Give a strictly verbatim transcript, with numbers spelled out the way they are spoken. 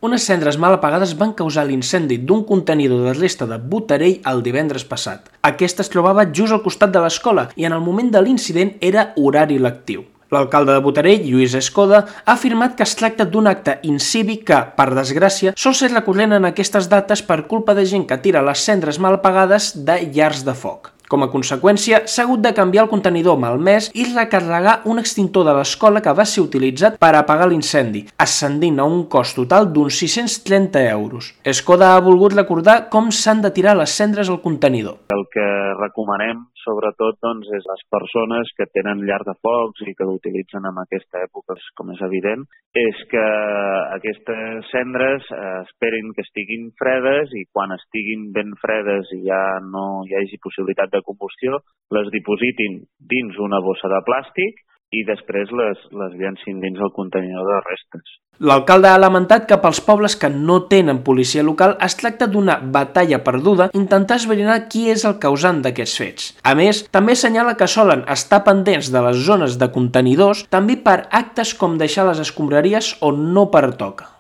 Unes cendres mal apagades van causar l'incendi d'un contenidor de resta de Botarell el divendres passat. Aquest es trobava just al costat de l'escola i en el moment de l'incident era horari lectiu. L'alcalde de Botarell, Lluís Escoda, ha afirmat que es tracta d'un acte incívic que, per desgràcia, sol ser recurrent en aquestes dates per culpa de gent que tira les cendres mal apagades de llars de foc. Com a conseqüència, s'ha hagut de canviar el contenidor malmès i recarregar un extintor de l'escola que va ser utilitzat per apagar l'incendi, ascendint a un cost total d'uns sis-cents trenta euros. Escoda ha volgut recordar com s'han de tirar les cendres al contenidor. El que recomanem, sobretot, doncs, és les persones que tenen llar de focs i que l'utilitzen en aquesta època, com és evident, és que aquestes cendres eh, esperin que estiguin fredes i quan estiguin ben fredes i ja no hi hagi possibilitat de combustió, les dipositin dins una bossa de plàstic i després les, les llencin dins el contenidor de restes. L'alcalde ha lamentat que pels pobles que no tenen policia local es tracta d'una batalla perduda intentar esbrinar qui és el causant d'aquests fets. A més, també assenyala que solen estar pendents de les zones de contenidors també per actes com deixar les escombraries on no pertoca.